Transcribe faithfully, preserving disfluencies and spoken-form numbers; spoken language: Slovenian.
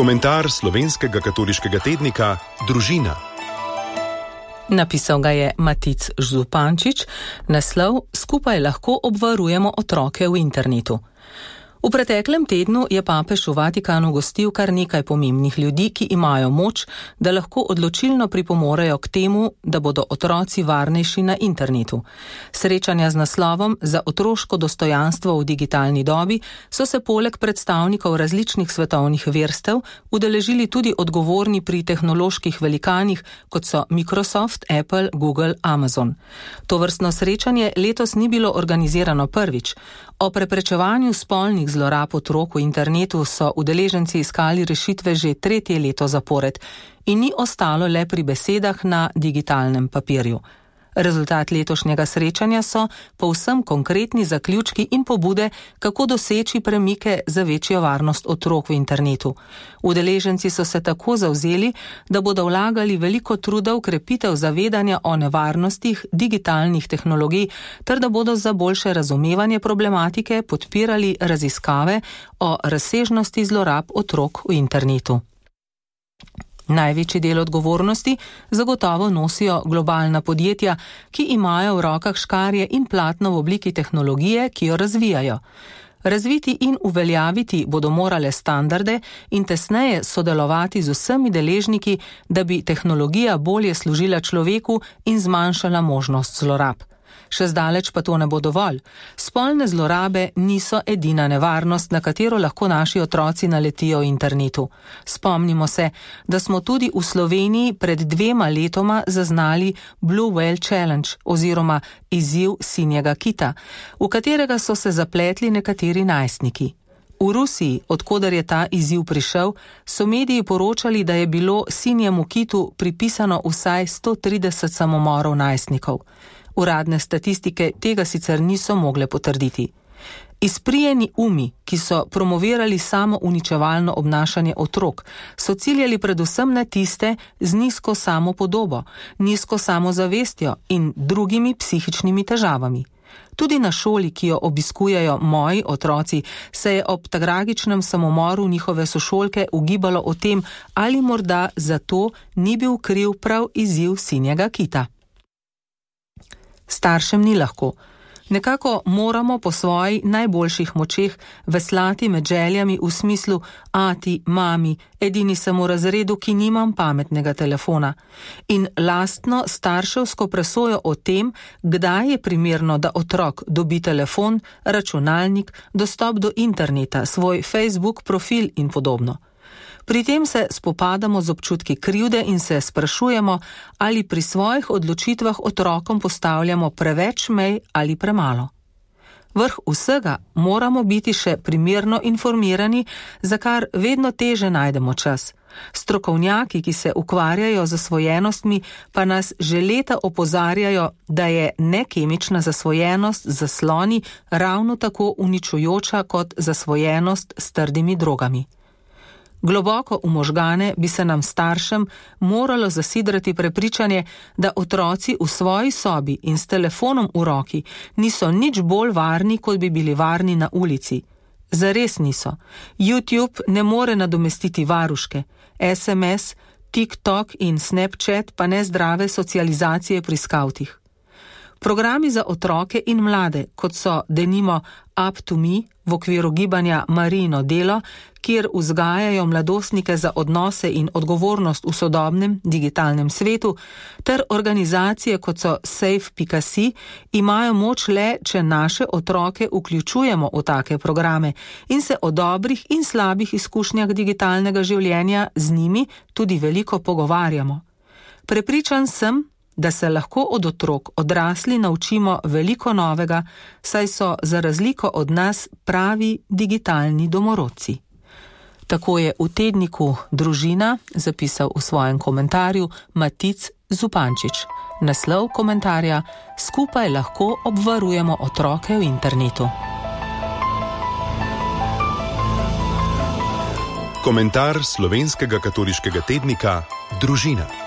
Komentar slovenskega katoliškega tednika Družina. Napisal ga je Matic Zupančič, naslov Skupaj lahko obvarujemo otroke v internetu. V preteklem tednu je papež v Vatikanu gostil kar nekaj pomembnih ljudi, ki imajo moč, da lahko odločilno pripomorejo k temu, da bodo otroci varnejši na internetu. Srečanja z naslovom Za otroško dostojanstvo v digitalni dobi so se poleg predstavnikov različnih svetovnih verstev udeležili tudi odgovorni pri tehnoloških velikanih, kot so Microsoft, Apple, Google, Amazon. Tovrstno srečanje letos ni bilo organizirano prvič. O preprečevanju spolnih zlorab otrok v internetu so udeleženci iskali rešitve že tretje leto zapored in ni ostalo le pri besedah na digitalnem papirju. Rezultat letošnjega srečanja so povsem konkretni zaključki in pobude, kako doseči premike za večjo varnost otrok v internetu. Udeleženci so se tako zavzeli, da bodo vlagali veliko truda v krepitev zavedanja o nevarnostih digitalnih tehnologij, ter da bodo za boljše razumevanje problematike podpirali raziskave o razsežnosti zlorab otrok v internetu. Največji del odgovornosti zagotovo nosijo globalna podjetja, ki imajo v rokah škarje in platno v obliki tehnologije, ki jo razvijajo. Razviti in uveljaviti bodo morale standarde in tesneje sodelovati z vsemi deležniki, da bi tehnologija bolje služila človeku in zmanjšala možnost zlorab. Še zdaleč pa to ne bo dovolj. Spolne zlorabe niso edina nevarnost, na katero lahko naši otroci naletijo v internetu. Spomnimo se, da smo tudi v Sloveniji pred dvema letoma zaznali Blue Whale Challenge oziroma izziv sinjega kita, v katerega so se zapletli nekateri najstniki. V Rusiji, odkoder je ta izziv prišel, so mediji poročali, da je bilo sinjemu kitu pripisano vsaj sto trideset samomorov najstnikov. Uradne statistike tega sicer niso mogle potrditi. Izprijeni umi, ki so promovirali samo uničevalno obnašanje otrok, so ciljali predvsem na tiste z nizko samopodobo, nizko samozavestjo in drugimi psihičnimi težavami. Tudi na šoli, ki jo obiskujejo moji otroci, se je ob tragičnem samomoru njihove sošolke ugibalo o tem, ali morda zato ni bil kriv prav izziv sinjega kita. Staršem ni lahko. Nekako moramo po svojih najboljših močeh veslati med željami v smislu ati, mami, edini sem v razredu, ki nimam pametnega telefona. In lastno starševsko presojo o tem, kdaj je primerno, da otrok dobi telefon, računalnik, dostop do interneta, svoj Facebook profil in podobno. Pri tem se spopadamo z občutki krivde in se sprašujemo, ali pri svojih odločitvah otrokom postavljamo preveč mej ali premalo. Vrh vsega moramo biti še primerno informirani, za kar vedno teže najdemo čas. Strokovnjaki, ki se ukvarjajo z zasvojenostmi, pa nas že leta opozarjajo, da je nekemična zasvojenost z zasloni ravno tako uničujoča kot zasvojenost s trdimi drogami. Globoko v možgane bi se nam staršem moralo zasidrati prepričanje, da otroci v svoji sobi in s telefonom v roki niso nič bolj varni, kot bi bili varni na ulici. Zares niso. YouTube ne more nadomestiti varuške, es em es, TikTok in Snapchat pa ne zdrave socializacije pri skavtih. Programi za otroke in mlade, kot so denimo Up to Me v okviru gibanja Marijino delo, kjer vzgajajo mladostnike za odnose in odgovornost v sodobnem digitalnem svetu, ter organizacije kot so safe pika si, imajo moč le, če naše otroke vključujemo v take programe in se o dobrih in slabih izkušnjah digitalnega življenja z njimi tudi veliko pogovarjamo. Prepričan sem, da se lahko od otrok odrasli naučimo veliko novega, saj so za razliko od nas pravi digitalni domorodci. Tako je v tedniku Družina zapisal v svojem komentarju Matic Zupančič. Naslov komentarja: Skupaj lahko obvarujemo otroke v internetu. Komentar slovenskega katoliškega tednika Družina.